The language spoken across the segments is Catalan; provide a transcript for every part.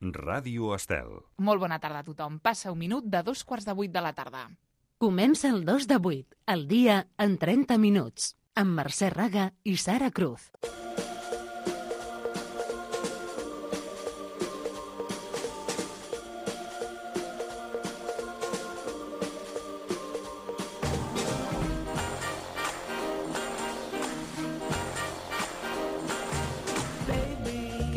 Ràdio Estel. Molt bona tarda a tothom. Passa un minut de 7:45 de la tarda. Comença el 2 de 8, el dia en 30 minuts, amb Mercè Raga i Sara Cruz.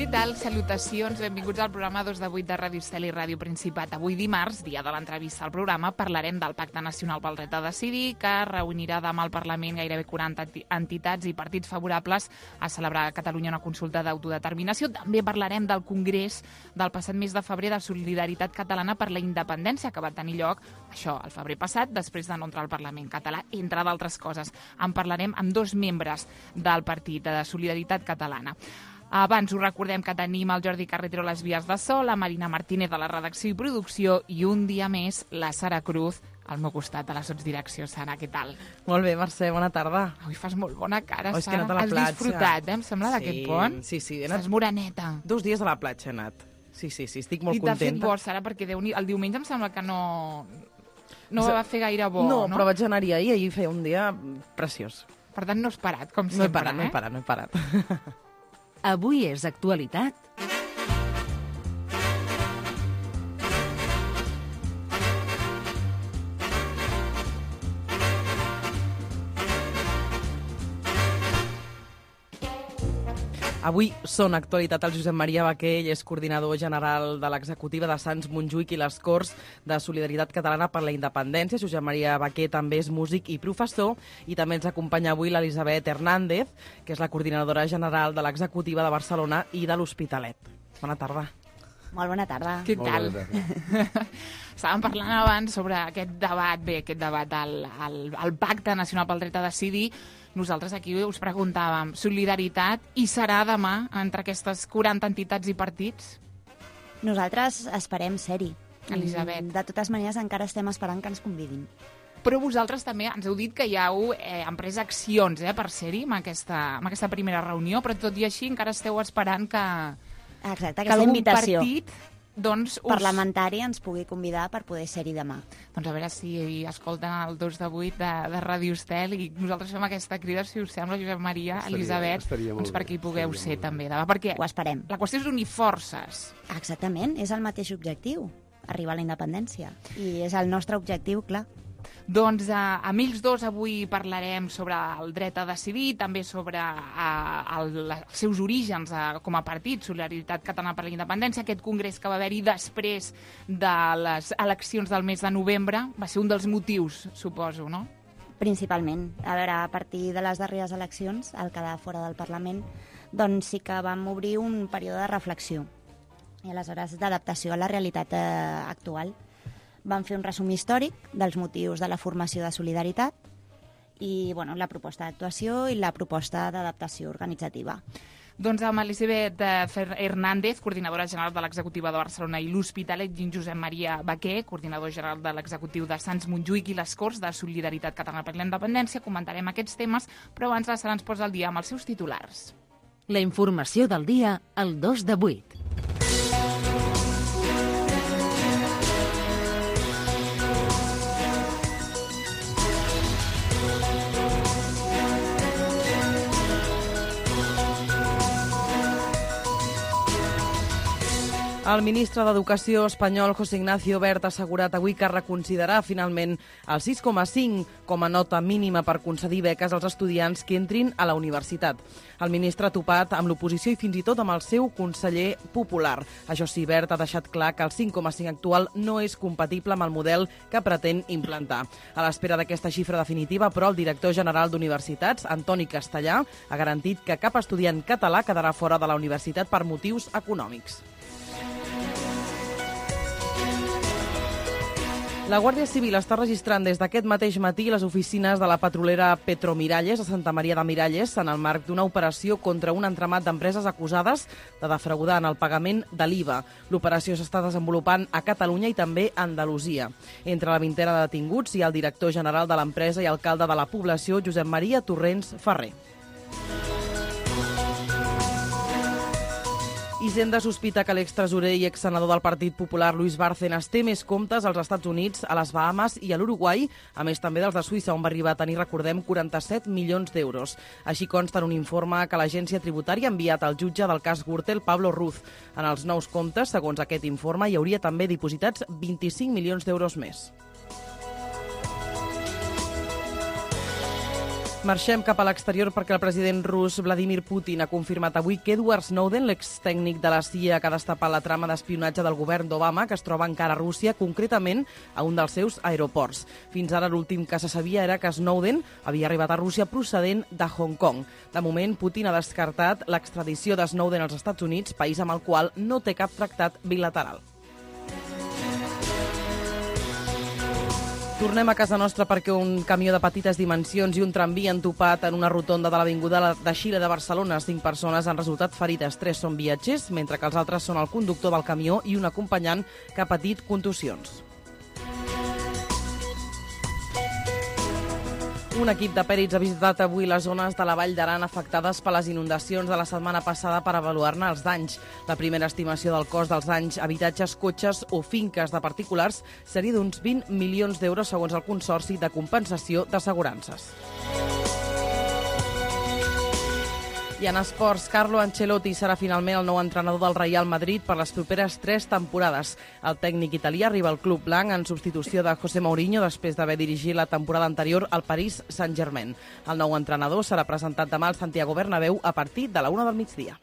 Què tal? Salutacions, benvinguts al programa 2 de 8 de Ràdio Estel i Ràdio Principat. Avui dimarts, dia de l'entrevista al programa, parlarem del Pacte Nacional pel Dret a Decidir, que reunirà demà al Parlament gairebé 40 entitats i partits favorables a celebrar a Catalunya una consulta d'autodeterminació. També parlarem del Congrés del passat mes de febrer de Solidaritat Catalana per la Independència, que va tenir lloc, això, el febrer passat, després de no entrar al Parlament català, entre d'altres coses. En parlarem amb dos membres del Partit de Solidaritat Catalana. Abans us recordem que tenim el Jordi Carretero a les vies de so, la Marina Martínez a la redacció i producció i un dia més la Sara Cruz al meu costat a la sotsdirecció. Sara, què tal? Molt bé, Mercè, bona tarda. Avui fas molt bona cara, Oh, és que he Sara. anat a la Has platja. disfrutat, em sembla, d'aquest pont? Sí, he Estàs anat moreneta. 2 dies a la platja, he anat. Sí, estic molt I t'ha fet contenta. bo, Sara, perquè el diumenge em sembla que no va fer gaire bo, No, però vaig anar-hi ahir feia un dia preciós. Per tant, no has parat, com No he sempre, parat, no he parat. Avui és actualitat. Avui són actualitat el Josep Maria Baqué, ell és coordinador general de l'executiva de Sants Montjuïc i les Corts de Solidaritat Catalana per la Independència. Josep Maria Baqué també és músic i professor i també ens acompanya avui l'Elisabet Hernández, que és la coordinadora general de l'executiva de Barcelona i de l'Hospitalet. Bona tarda. Molt bona tarda. Què tal? Estàvem parlant abans sobre aquest debat, el Pacte Nacional pel Dret a Decidir. Nosaltres aquí us preguntàvem, solidaritat hi serà demà entre aquestes 40 entitats i partits? Nosaltres esperem ser-hi. Elisabet. De totes maneres, encara estem esperant que ens convidin. Però vosaltres també ens heu dit que ja heu emprès accions per ser-hi en aquesta primera reunió, però tot i així encara esteu esperant que Exacte, algun aquesta invitació partit parlamentari ens pugui convidar per poder ser-hi demà. Doncs a veure si escolten el 2 de 8 de Ràdio Estel i nosaltres fem aquesta crida, si us sembla, Josep Maria, Elisabet, doncs perquè hi pugueu ser també demà, perquè Ho esperem. la qüestió és unir forces. Exactament, és el mateix objectiu, arribar a la independència. I és el nostre objectiu, clar. Doncs amb ells dos avui parlarem sobre el dret a decidir, també sobre els seus orígens com a partit, Solidaritat Catalana per la Independència. Aquest congrés que va haver-hi després de les eleccions del mes de novembre va ser un dels motius, suposo, no? Principalment. A veure, a partir de les darreres eleccions, al quedar fora del Parlament, doncs sí que vam obrir un període de reflexió i aleshores d'adaptació a la realitat actual. Vam fer un resum històric dels motius de la formació de Solidaritat i la proposta d'actuació i la proposta d'adaptació organitzativa. Doncs amb Elisabet Hernández, coordinadora general de l'executiva de Barcelona i l'Hospitalet, i Josep Maria Baqué, coordinador general de l'executiu de Sants Montjuïc i les Corts de Solidaritat Catalana per la Independència, comentarem aquests temes, però abans la Sara ens posa al dia amb els seus titulars. La informació del dia al 2 de 8. El ministre d'Educació espanyol, José Ignacio Wert, ha assegurat avui que reconsiderarà finalment el 6,5 com a nota mínima per concedir beques als estudiants que entrin a la universitat. El ministre ha topat amb l'oposició i fins i tot amb el seu conseller popular. Això sí, Wert ha deixat clar que el 5,5 actual no és compatible amb el model que pretén implantar. A l'espera d'aquesta xifra definitiva, però, el director general d'Universitats, Antoni Castellà, ha garantit que cap estudiant català quedarà fora de la universitat per motius econòmics. La Guàrdia Civil està registrant des d'aquest mateix matí les oficines de la petrolera Petromiralles a Santa Maria de Miralles en el marc d'una operació contra un entramat d'empreses acusades de defraudar en el pagament de l'IVA. L'operació s'està desenvolupant a Catalunya i també a Andalusia. Entre la vintena de detinguts hi ha el director general de l'empresa i alcalde de la població, Josep Maria Torrents Ferrer. I Hisenda sospita que l'extresorer i exsenador del Partit Popular, Luis Bárcenas, té més comptes als Estats Units, a les Bahamas i a l'Uruguai, a més també dels de Suïssa, on va arribar a tenir, recordem, 47 milions d'euros. Així consta en un informe que l'agència tributària ha enviat al jutge del cas Gürtel, Pablo Ruz. En els nous comptes, segons aquest informe, hi hauria també dipositats 25 milions d'euros més. Marxem cap a l'exterior perquè el president rus Vladimir Putin ha confirmat avui que Edward Snowden, l'extècnic de la CIA que ha destapat la trama d'espionatge del govern d'Obama, que es troba encara a Rússia, concretament a un dels seus aeroports. Fins ara l'últim que se sabia era que Snowden havia arribat a Rússia procedent de Hong Kong. De moment, Putin ha descartat l'extradició de Snowden als Estats Units, país amb el qual no té cap tractat bilateral. Tornem a casa nostra perquè un camió de petites dimensions i un tramvia han topat en una rotonda de l'avinguda de Xile de Barcelona. 5 persones han resultat ferides, 3 són viatgers, mentre que els altres són el conductor del camió i un acompanyant que ha patit contusions. Un equip de pèrits ha visitat avui les zones de la Vall d'Aran afectades per les inundacions de la setmana passada per avaluar-ne els danys. La primera estimació del cost dels danys a habitatges, cotxes o finques de particulars seria d'uns 20 milions d'euros segons el Consorci de Compensació d'Assegurances. I en esports, Carlo Ancelotti serà finalment el nou entrenador del Real Madrid per les properes 3 temporades. El tècnic italià arriba al club blanc en substitució de José Mourinho després d'haver dirigit la temporada anterior al Paris Saint-Germain. El nou entrenador serà presentat demà al Santiago Bernabéu a partir de la 1 del migdia.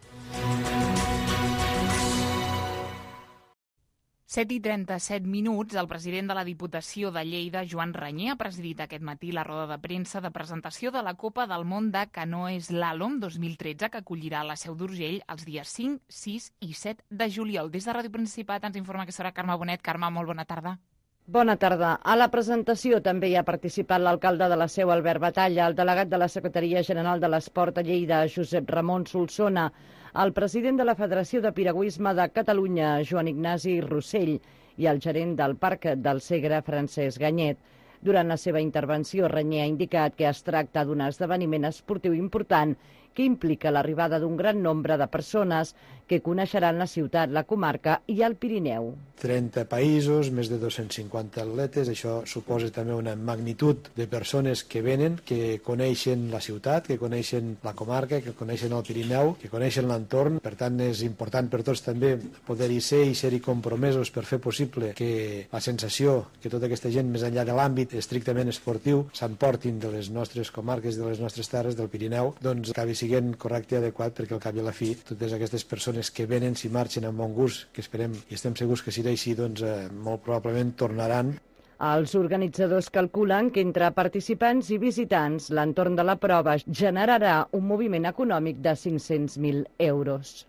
7:37 minuts, el president de la Diputació de Lleida, Joan Ranyer, ha presidit aquest matí la roda de premsa de presentació de la Copa del Món de Canoe Slalom 2013, que acollirà a la Seu d'Urgell els dies 5, 6 i 7 de juliol. Des de Ràdio Principat ens informa que serà Carme Bonet. Carme, molt bona tarda. Bona tarda. A la presentació també hi ha participat l'alcalde de la Seu, Albert Batalla, el delegat de la Secretaria General de l'Esport a Lleida, Josep Ramon Solsona, el president de la Federació de Piragüisme de Catalunya, Joan Ignasi Rossell, i el gerent del Parc del Segre, Francesc Ganyet. Durant la seva intervenció, Ranyer ha indicat que es tracta d'un esdeveniment esportiu important que implica l'arribada d'un gran nombre de persones que coneixeran la ciutat, la comarca i el Pirineu. 30 països, més de 250 atletes, això suposa també una magnitud de persones que venen, que coneixen la ciutat, que coneixen la comarca, que coneixen el Pirineu, que coneixen l'entorn. Per tant, és important per tots també poder-hi ser i ser-hi compromesos per fer possible que la sensació que tota aquesta gent, més enllà de l'àmbit estrictament esportiu, s'emportin de les nostres comarques, de les nostres terres, del Pirineu, doncs acabi sent correcte i adequat, perquè al cap i a la fi totes aquestes persones que venen, si marxen amb bon gust, que esperem i estem segurs que serà així, doncs molt probablement tornaran. Els organitzadors calculen que entre participants i visitants l'entorn de la prova generarà un moviment econòmic de 500.000 euros.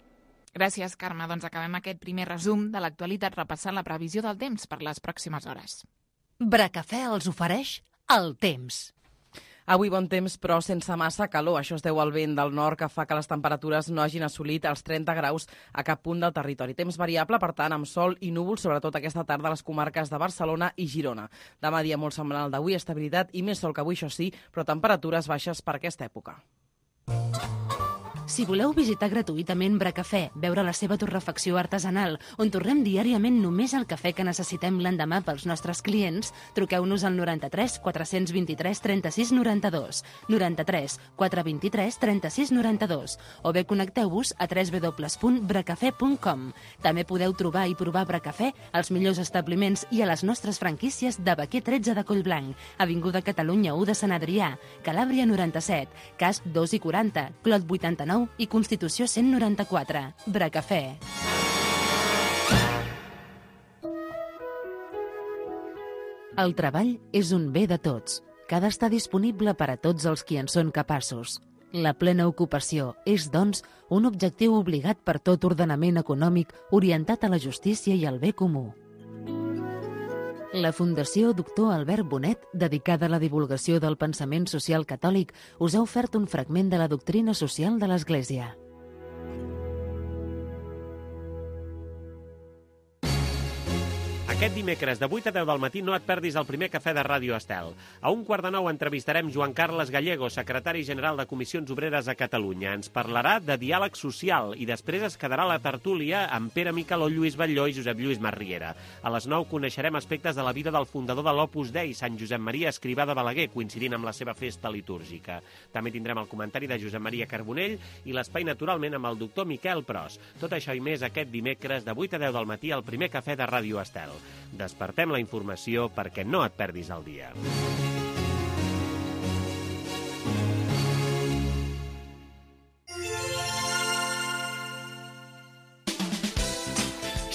Gràcies, Carme. Doncs acabem aquest primer resum de l'actualitat repassant la previsió del temps per les pròximes hores. Bracafè els ofereix el temps. Avui bon temps, però sense massa calor. Això es deu al vent del nord, que fa que les temperatures no hagin assolit els 30 graus a cap punt del territori. Temps variable, per tant, amb sol i núvols, sobretot aquesta tarda a les comarques de Barcelona i Girona. Demà dia molt semblant al d'avui, estabilitat i més sol que avui, això sí, però temperatures baixes per aquesta època. Si voleu visitar gratuïtament Bracafè, veure la seva torrefacció artesanal, on torrem diàriament només el cafè que necessitem l'endemà pels nostres clients, truqueu-nos al 93 423 36 92, 93 423 36 92, o bé connecteu-vos a www.bracafè.com. També podeu trobar i provar Bracafè als millors establiments i a les nostres franquícies de Baquer 13 de Collblanc, Avinguda Catalunya 1 de Sant Adrià, Calàbria 97, Casp 2 i 40, Clot 89 i Constitució 194. Bracafè. El treball és un bé de tots, que ha d'estar disponible per a tots els qui en són capaços. La plena ocupació és, doncs, un objectiu obligat per tot ordenament econòmic orientat a la justícia i al bé comú. La Fundació Doctor Albert Bonet, dedicada a la divulgació del pensament social catòlic, us ha ofert un fragment de la doctrina social de l'Església. Aquest dimecres de 8 a 10 del matí no et perdis el primer cafè de Ràdio Estel. A 8:45 entrevistarem Joan Carles Gallego, secretari general de Comissions Obreres a Catalunya. Ens parlarà de diàleg social i després es quedarà la tertúlia amb Pere Micaló, Lluís Batlló i Josep Lluís Masriera. A les 9 coneixerem aspectes de la vida del fundador de l'Opus Dei, Sant Josep Maria Escrivà de Balaguer, coincidint amb la seva festa litúrgica. També tindrem el comentari de Josep Maria Carbonell i l'espai naturalment amb el doctor Miquel Pros. Tot això i més aquest dimecres de 8 a 10 del matí al primer cafè de Ràdio Estel. Despertem la informació perquè no et perdis el dia.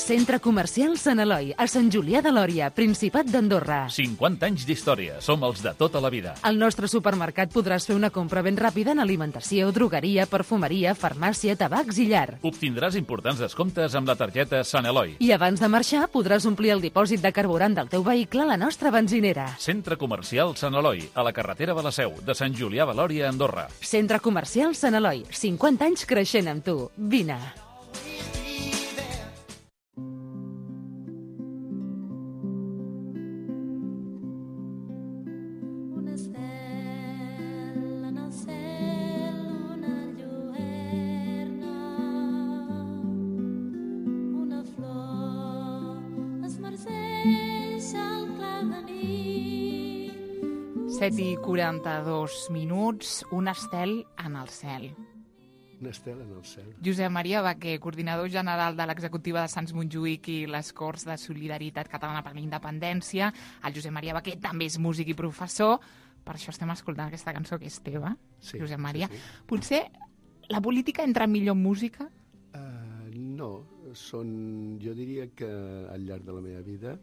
Centre Comercial Sant Eloi, a Sant Julià de Lòria, Principat d'Andorra. 50 anys d'història. Som els de tota la vida. Al nostre supermercat podràs fer una compra ben ràpida en alimentació, drogueria, perfumeria, farmàcia, tabacs i llar. Obtindràs importants descomptes amb la targeta Sant Eloi. I abans de marxar podràs omplir el dipòsit de carburant del teu vehicle a la nostra benzinera. Centre Comercial Sant Eloi, a la carretera de la Seu, de Sant Julià de Lòria, Andorra. Centre Comercial Sant Eloi, 50 anys creixent amb tu. Vine. I 42 minuts, un estel en el cel. Un estel en el cel. Josep Maria Baquer, coordinador general de l'executiva de Sants Montjuïc i les Corts de Solidaritat Catalana per la Independència. El Josep Maria Baquer també és músic i professor, per això estem escoltant aquesta cançó que és teva, sí, Josep Maria. Sí, sí. Potser la política entra millor en música? No, jo diria que al llarg de la meva vida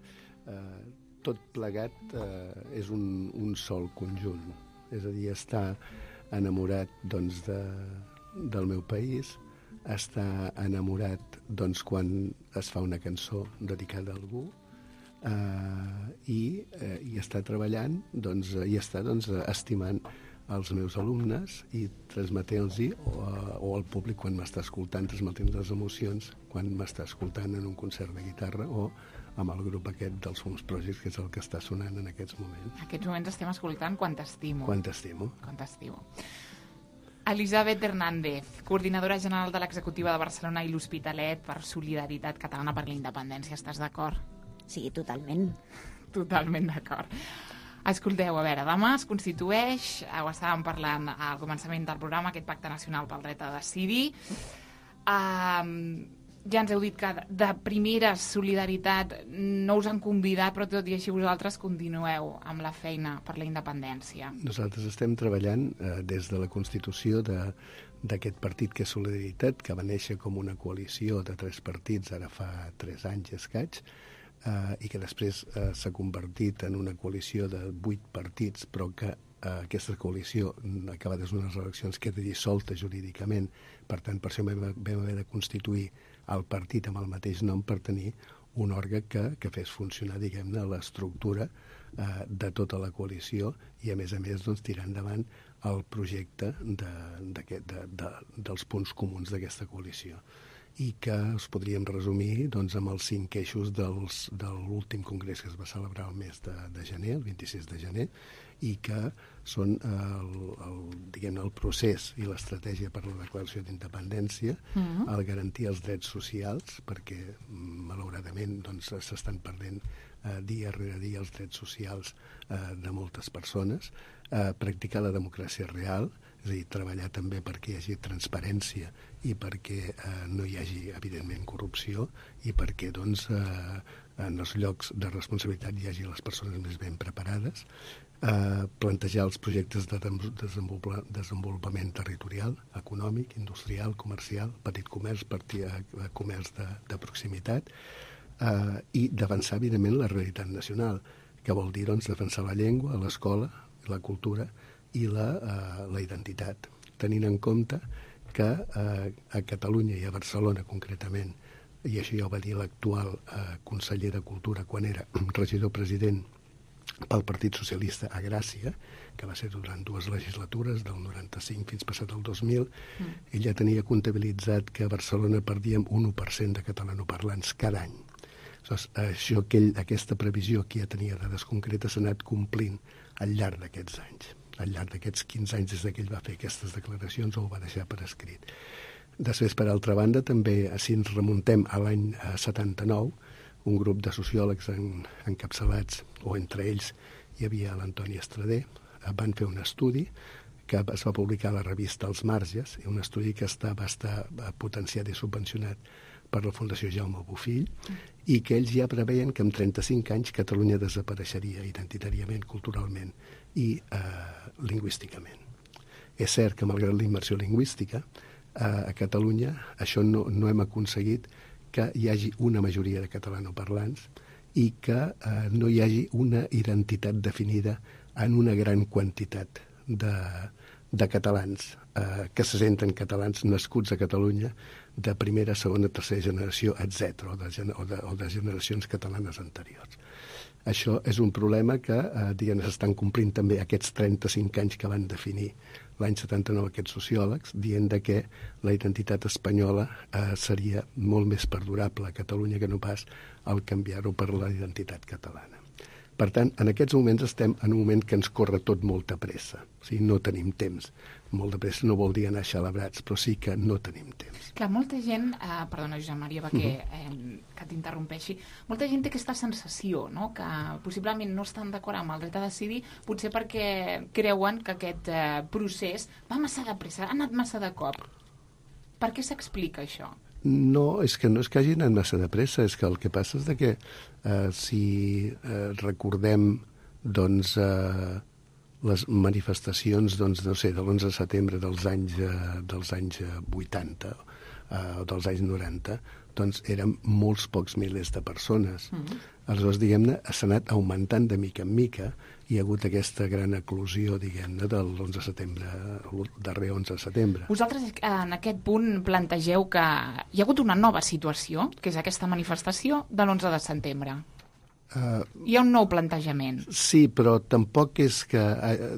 tot plegat és un sol conjunt. És a dir, estar enamorat doncs, del meu país, estar enamorat doncs, quan es fa una cançó dedicada a algú i estar treballant doncs, i estar estimant els meus alumnes i transmetent-los o al públic quan m'està escoltant, transmetent les emocions quan m'està escoltant en un concert de guitarra o amb el grup aquest dels Fums Projects, que és el que està sonant en aquests moments. En aquests moments estem escoltant Quan t'estimo. Quan t'estimo. Quan t'estimo. Elisabet Hernández, coordinadora general de l'executiva de Barcelona i l'Hospitalet per Solidaritat Catalana per la Independència. Estàs d'acord? Sí, totalment. Totalment d'acord. Escolteu, a veure, demà es constitueix, ho estàvem parlant al començament del programa, aquest pacte nacional pel dret a decidir. Ja ens heu dit que de primera solidaritat no us han convidat, però tot i així vosaltres continueu amb la feina per la independència. Nosaltres estem treballant des de la constitució d'aquest partit que és Solidaritat, que va néixer com una coalició de 3 partits, ara fa 3 anys i escaig, i que després s'ha convertit en una coalició de 8 partits, però que aquesta coalició, acabades unes eleccions, queda dissolta jurídicament. Per tant, per això vam haver de constituir el partit amb el mateix nom per tenir un òrgan que fes funcionar, diguem-ne, l'estructura de tota la coalició i, a més, doncs, tirar endavant el projecte dels punts comuns d'aquesta coalició. I que es podríem resumir doncs, amb els 5 eixos de l'últim congrés que es va celebrar el mes de gener, el 26 de gener, i que són el procés i l'estratègia per a la declaració d'independència, el garantir els drets socials, perquè malauradament doncs, s'estan perdent dia rere dia els drets socials de moltes persones, practicar la democràcia real, és a dir, treballar també perquè hi hagi transparència i perquè no hi hagi, evidentment, corrupció i perquè doncs, en els llocs de responsabilitat hi hagi les persones més ben preparades, plantejar els projectes de desenvolupament territorial, econòmic, industrial, comercial, petit comerç, comerç de proximitat, i d'avançar, evidentment, la realitat nacional, que vol dir doncs, defensar la llengua, l'escola, la cultura i la identitat, tenint en compte que a Catalunya i a Barcelona concretament, i això ja ho va dir l'actual conseller de Cultura quan era regidor president pel Partit Socialista a Gràcia, que va ser durant 2 legislatures, del 95 fins passat el 2000, ell ja tenia comptabilitzat que a Barcelona perdíem un 1% de catalanoparlants cada any. Aquesta previsió que ja tenia dades concretes s'ha anat complint al llarg d'aquests anys, al llarg d'aquests 15 anys des que ell va fer aquestes declaracions o ho va deixar per escrit. Després, per altra banda, també, si ens remuntem a l'any 79, un grup de sociòlegs encapçalats, o entre ells hi havia l'Antoni Estrader, van fer un estudi que es va publicar a la revista Els Marges, un estudi que va estar potenciat i subvencionat per la Fundació Jaume Bofill, i que ells ja preveien que en 35 anys Catalunya desapareixeria identitàriament, culturalment i lingüísticament. És cert que, malgrat la immersió lingüística, a Catalunya això no hem aconseguit que hi hagi una majoria de catalanoparlants i que no hi hagi una identitat definida en una gran quantitat de catalans que se senten catalans nascuts a Catalunya de primera, segona, tercera generació, etc., o de generacions catalanes anteriors. Això és un problema que s'estan complint també aquests 35 anys que van definir l'any 79 aquests sociòlegs, dient que la identitat espanyola seria molt més perdurable a Catalunya que no pas al canviar-ho per la identitat catalana. Per tant, en aquests moments estem en un moment que ens corre tot molta pressa. O sigui, no tenim temps. Molt de pressa no vol dir anar xalabrats, però sí que no tenim temps. Clar, molta gent, perdona, Josep Maria, que t'interrompeixi, molta gent té aquesta sensació, no?, que possiblement no estan d'acord amb el dret a decidir, potser perquè creuen que aquest procés va massa de pressa, ha anat massa de cop. Per què s'explica això? No, és que no és que hagi anat massa de pressa, és que el que passa és que si recordem les manifestacions de l'11 de setembre dels anys 80 o dels anys 90, doncs eren molts pocs milers de persones. Aleshores, diguem-ne, s'ha anat augmentant de mica en mica. Hi ha hagut aquesta gran eclosió, diguem-ne, de l'11 de setembre, el darrer 11 de setembre. Vosaltres en aquest punt plantegeu que hi ha hagut una nova situació, que és aquesta manifestació de l'11 de setembre. Hi ha un nou plantejament. Sí, però tampoc és que,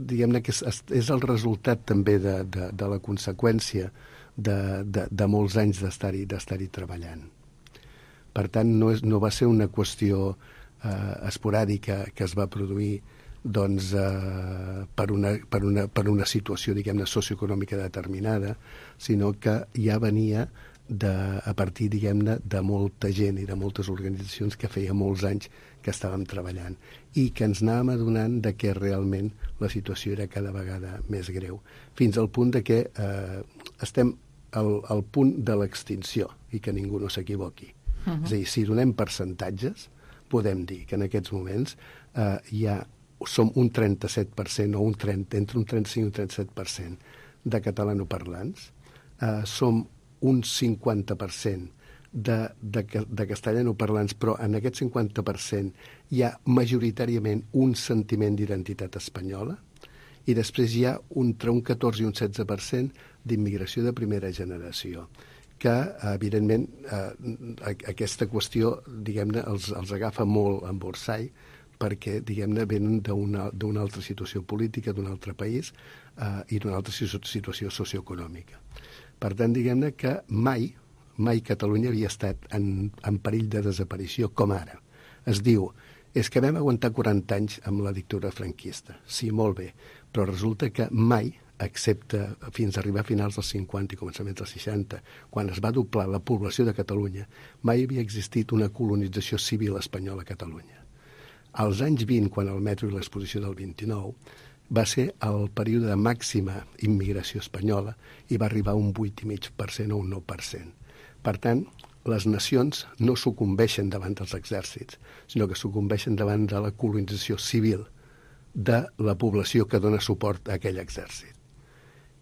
diguem-ne, que és el resultat també de la conseqüència de molts anys d'estar-hi treballant. Per tant, no va ser una qüestió esporàdica que es va produir per una situació, diguem-ne, socioeconòmica determinada, sinó que ja venia a partir, diguem-ne, de molta gent i de moltes organitzacions que feia molts anys que estàvem treballant i que ens anàvem adonant que realment la situació era cada vegada més greu, fins al punt que estem al punt de l'extinció i que ningú no s'equivoqui. És a dir, si donem percentatges, podem dir que en aquests moments som un 37% o entre un 35 i un 37% de catalanoparlants, som un 50% de castellanoparlants, però en aquest 50% hi ha majoritàriament un sentiment d'identitat espanyola i després hi ha entre un 14 i un 16% d'immigració de primera generació, que, evidentment, aquesta qüestió, diguem-ne, els agafa molt en borsall perquè, diguem-ne, venen d'una altra situació política, d'un altre país i d'una altra situació socioeconòmica. Per tant, diguem-ne que mai Catalunya havia estat en perill de desaparició com ara. Es diu, és que vam aguantar 40 anys amb la dictadura franquista. Sí, molt bé, però resulta que mai, excepte fins a arribar a finals dels 50 i començaments dels 60, quan es va doblar la població de Catalunya, mai havia existit una colonització civil espanyola a Catalunya. Als anys 20, quan el metro i l'exposició del 29, va ser el període de màxima immigració espanyola i va arribar a un 8,5% o un 9%. Per tant, les nacions no sucumbeixen davant dels exèrcits, sinó que sucumbeixen davant de la colonització civil de la població que dona suport a aquell exèrcit.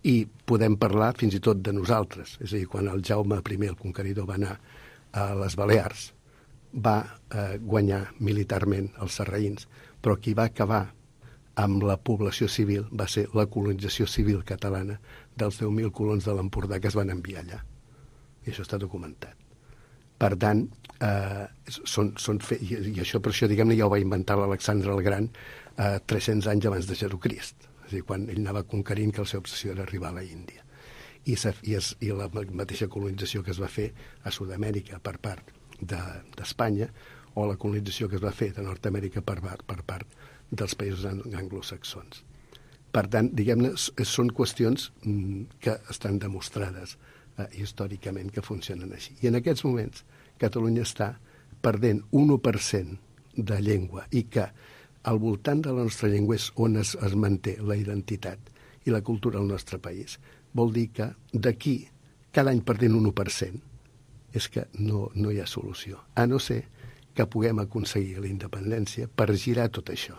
I podem parlar fins i tot de nosaltres, és a dir, quan el Jaume I, el conqueridor, va anar a les Balears, va guanyar militarment els sarraïns, però qui va acabar amb la població civil va ser la colonització civil catalana dels 10.000 colons de l'Empordà que es van enviar allà. I això està documentat. Per tant, i això per això, diguem-ne, ja ho va inventar l'Alexandre el Gran 300 anys abans de Jesucrist, és a dir, quan ell anava conquerint, que la seva obsessió era arribar a la Índia. I la mateixa colonització que es va fer a Sud-amèrica per part d'Espanya o la colonització que es va fer de Nord-Amèrica per part dels països anglosaxons. Per tant, diguem-ne, són qüestions que estan demostrades històricament que funcionen així. I en aquests moments Catalunya està perdent un 1% de llengua i que al voltant de la nostra llengua és on es manté la identitat i la cultura del nostre país. Vol dir que d'aquí, cada any perdent un 1%, és que no hi ha solució, a no ser que puguem aconseguir la independència per girar tot això.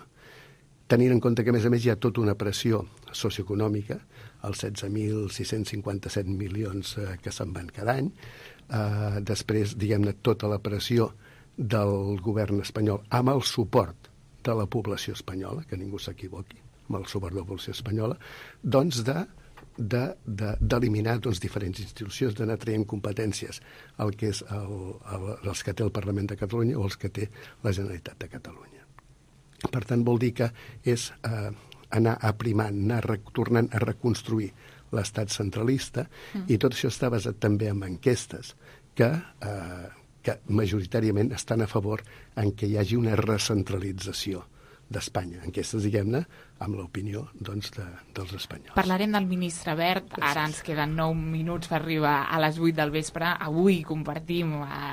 Tenint en compte que, a més, hi ha tota una pressió socioeconòmica, els 16.657 milions que se'n van cada any, després, diguem-ne, tota la pressió del govern espanyol amb el suport de la població espanyola, que ningú s'equivoqui, amb el suport de la població espanyola, doncs d'eliminar diferents institucions, d'anar traient competències el que és els que té el Parlament de Catalunya o els que té la Generalitat de Catalunya. Per tant, vol dir que és anar aprimant, anar tornant a reconstruir l'estat centralista, i tot això està basat també en enquestes que majoritàriament estan a favor en què hi hagi una recentralització d'Espanya. Enquestes, diguem-ne, amb l'opinió dels espanyols. Parlarem del ministre Wert. Gràcies. Ara ens queden 9 minuts per arribar a les 8 del vespre. Avui compartim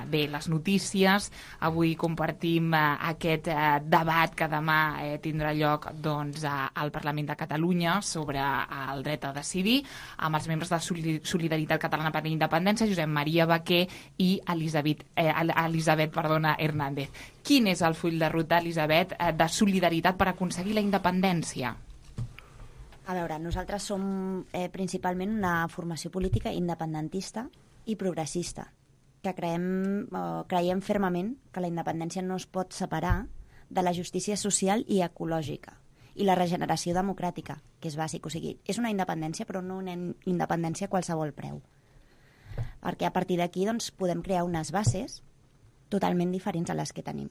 les notícies, avui compartim aquest debat que demà tindrà lloc al Parlament de Catalunya sobre el dret a decidir, amb els membres de Solidaritat Catalana per la Independència, Josep Maria Baquer i Elisabet Hernández. Quin és el full de ruta, Elisabet, de Solidaritat per aconseguir la independència? A veure, nosaltres som principalment una formació política independentista i progressista, que creiem fermament que la independència no es pot separar de la justícia social i ecològica i la regeneració democràtica, que és bàsic. O sigui, és una independència, però no una independència a qualsevol preu. Perquè a partir d'aquí podem crear unes bases totalment diferents a les que tenim.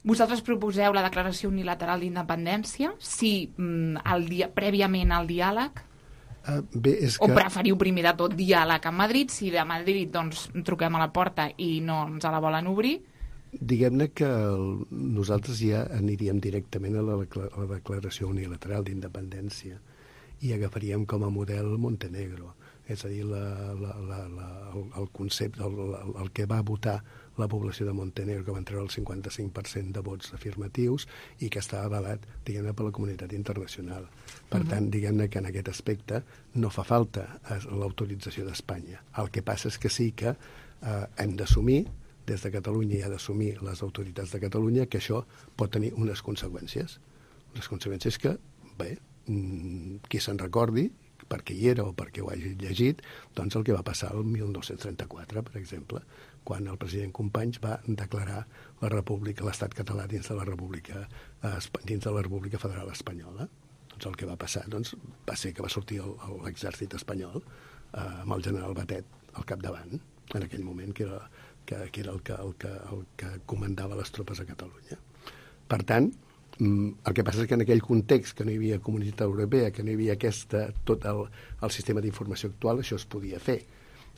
Vosaltres proposeu la declaració unilateral d'independència? Sí, prèviament al diàleg? O preferiu primer de tot diàleg amb Madrid? Si de Madrid truquem a la porta i no ens la volen obrir? Diguem-ne que nosaltres ja aniríem directament a la declaració unilateral d'independència i agafaríem com a model Montenegro. És a dir, el concepte, el que va votar la població de Montenegro, que van treure el 55% de vots afirmatius i que estava avalat, diguem-ne, per la comunitat internacional. Per tant, diguem-ne que en aquest aspecte no fa falta l'autorització d'Espanya. El que passa és que sí que hem d'assumir, des de Catalunya, i ha d'assumir les autoritats de Catalunya, que això pot tenir unes conseqüències. Les conseqüències que, qui se'n recordi, perquè hi era o perquè ho hagi llegit, doncs el que va passar el 1934, per exemple, quan el president Companys va declarar la República, l'estat català dins de la República Federal Espanyola. Doncs el que va passar va ser que va sortir l'exèrcit espanyol amb el general Batet al capdavant, en aquell moment, que era el que comandava les tropes a Catalunya. Per tant, el que passa és que en aquell context que no hi havia Comunitat Europea, que no hi havia tot el sistema d'informació actual, això es podia fer.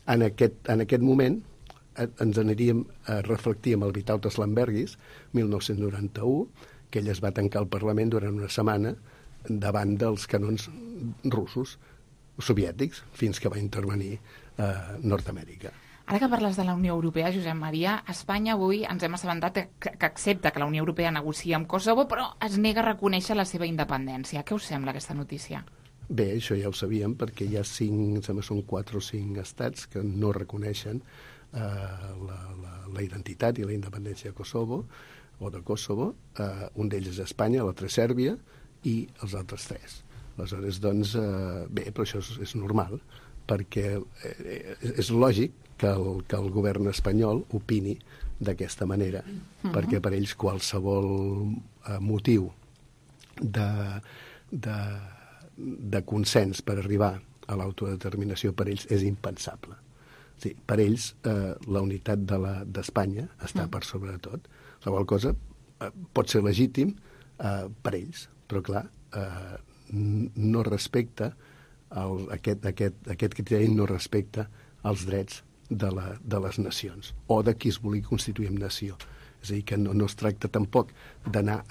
En aquest moment ens aniríem a reflectir amb el Vytautas Landsbergis, 1991, que ell es va tancar al Parlament durant una setmana davant dels canons russos, soviètics, fins que va intervenir Nord-Amèrica. Ara que parles de la Unió Europea, Josep Maria, Espanya avui ens hem assabentat que accepta que la Unió Europea negocia amb Kosovo, però es nega a reconèixer la seva independència. Què us sembla aquesta notícia? Bé, això ja ho sabíem, perquè hi ha 4 o 5 estats que no reconeixen la identitat i la independència de Kosovo, un d'ells és Espanya, l'altre és Sèrbia, i els altres 3. Aleshores, bé, però això és normal, perquè és lògic que el govern espanyol opini d'aquesta manera, perquè per ells qualsevol motiu de consens per arribar a l'autodeterminació per ells és impensable. Sí, per ells la unitat d'Espanya està per sobre de tot. La qual cosa pot ser legítim per ells, però clar, no respecta aquest criteri, no respecta els drets de les nacions, o de qui es vulgui constituir en nació. És a dir, que no es tracta tampoc d'anar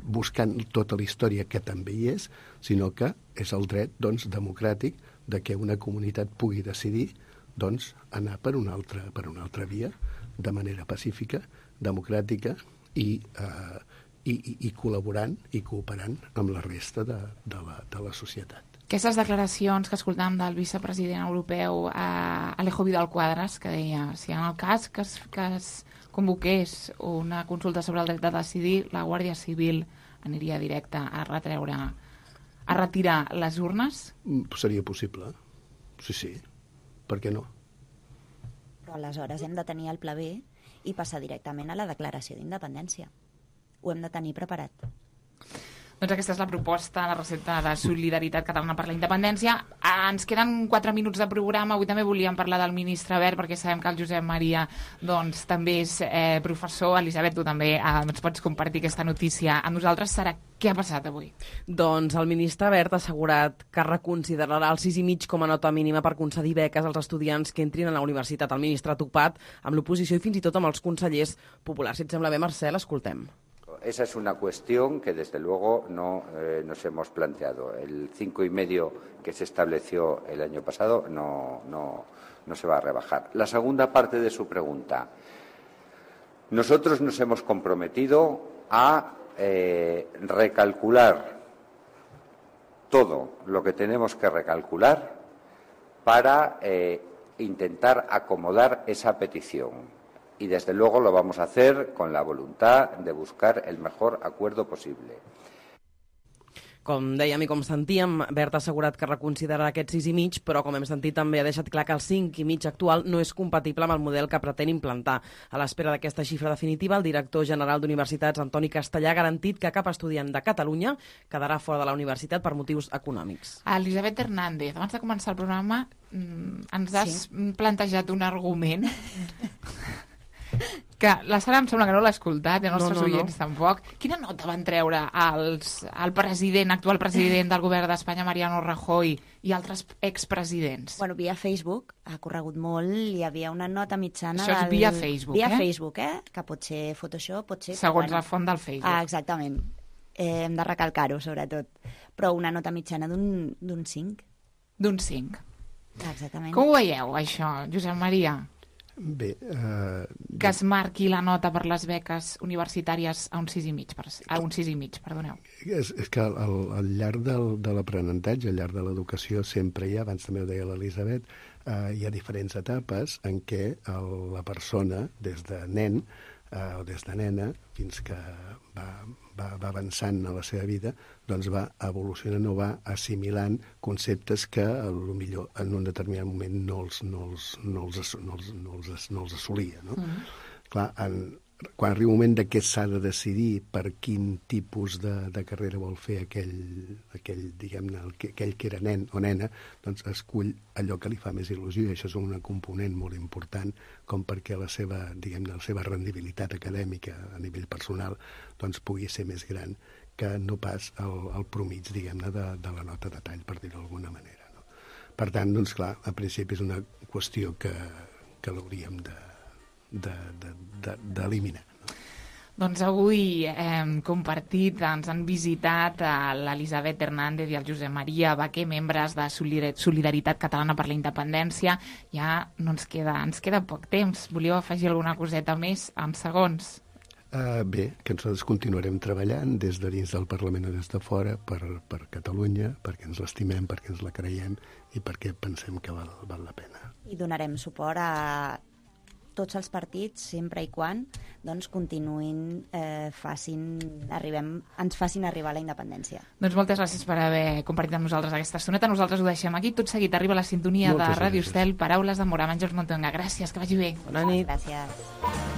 buscant tota la història, que també hi és, sinó que és el dret democràtic de que una comunitat pugui decidir anar per una altra via, de manera pacífica, democràtica i col·laborant i cooperant amb la resta de la societat. Aquestes declaracions que escoltàvem del vicepresident europeu Alejo Vidal Quadras, que deia, si en el cas que es convoqués una consulta sobre el dret de decidir, la Guàrdia Civil aniria directa a retirar les urnes? Seria possible, sí. Per què no? Però aleshores hem de tenir el pla B i passar directament a la declaració d'independència. Ho hem de tenir preparat. Doncs aquesta és la proposta, la recepta de Solidaritat Catalana per la Independència. Ens queden 4 minuts de programa. Avui també volíem parlar del ministre Wert, perquè sabem que el Josep Maria també és professor. Elisabet, tu també ens pots compartir aquesta notícia amb nosaltres. Què ha passat avui? Doncs el ministre Wert ha assegurat que reconsiderarà el 6,5 com a nota mínima per concedir beques als estudiants que entrin a la universitat. El ministre ha topat amb l'oposició i fins i tot amb els consellers populars. Si et sembla bé, Marcel, escoltem. Esa es una cuestión que, desde luego, no nos hemos planteado. El 5,5 que se estableció el año pasado no se va a rebajar. La segunda parte de su pregunta. Nosotros nos hemos comprometido a recalcular todo lo que tenemos que recalcular para intentar acomodar esa petición. Y desde luego lo vamos a hacer con la voluntad de buscar el mejor acuerdo posible. Com dèiem i com sentíem, Wert ha assegurat que reconsiderarà aquest 6,5, però com hem sentit també ha deixat clar que el 5,5 actual no és compatible amb el model que pretén implantar. A l'espera d'aquesta xifra definitiva, el director general d'Universitats, Antoni Castellà, ha garantit que cap estudiant de Catalunya quedarà fora de la universitat per motius econòmics. Elisabet Hernández, abans de començar el programa, ens has plantejat un argument que la Sara em sembla que no l'ha escoltat, i els nostres oients tampoc. Quina nota van treure el actual president del govern d'Espanya, Mariano Rajoy, i altres expresidents? Bueno, via Facebook ha corregut molt, hi havia una nota mitjana... Això és via Facebook, via Facebook, que pot ser Photoshop, pot ser... Segons la font del Facebook. Exactament. Hem de recalcar-ho, sobretot. Però una nota mitjana d'un 5. D'un 5. Exactament. Com ho veieu, això, Josep Maria? Bé, que es marqui la nota per les beques universitàries a un 6,5, perdoneu. És que al llarg de l'aprenentatge, al llarg de l'educació, sempre hi ha, abans també ho deia l'Elisabet, hi ha diferents etapes en què la persona, des de nen o des de nena, fins que va avançant a la seva vida, doncs va evolucionant o va assimilant conceptes que potser en un determinat moment no els assolia. No? Clar, quan arriba un moment que s'ha de decidir per quin tipus de carrera vol fer aquell diguem-ne, aquell que era nen o nena, doncs escull allò que li fa més il·lusió, i això és un component molt important com perquè la seva rendibilitat acadèmica a nivell personal doncs pugui ser més gran que no pas el promig, diguem-ne, de la nota de tall, per dir-ho d'alguna manera. No? Per tant, doncs clar, a principi és una qüestió que l'hauríem d'eliminar. Doncs avui hem compartit, ens han visitat l'Elisabet Hernández i el Josep Maria Baquer, membres de Solidaritat Catalana per la Independència. Ja no ens queda poc temps. Volíeu afegir alguna coseta més en segons? Bé, que nosaltres continuarem treballant des de dins del Parlament o des de fora per Catalunya, perquè ens l'estimem, perquè ens la creiem i perquè pensem que val la pena. I donarem suport a tots els partits, sempre i quan doncs, continuïn, ens facin arribar a la independència. Doncs moltes gràcies per haver compartit amb nosaltres aquesta estoneta. Nosaltres ho deixem aquí. Tot seguit arriba la sintonia de Ràdio Estel, Paraules d'amor amb Àngels Montonga. Gràcies, que vagi bé. Bona nit. Gràcies.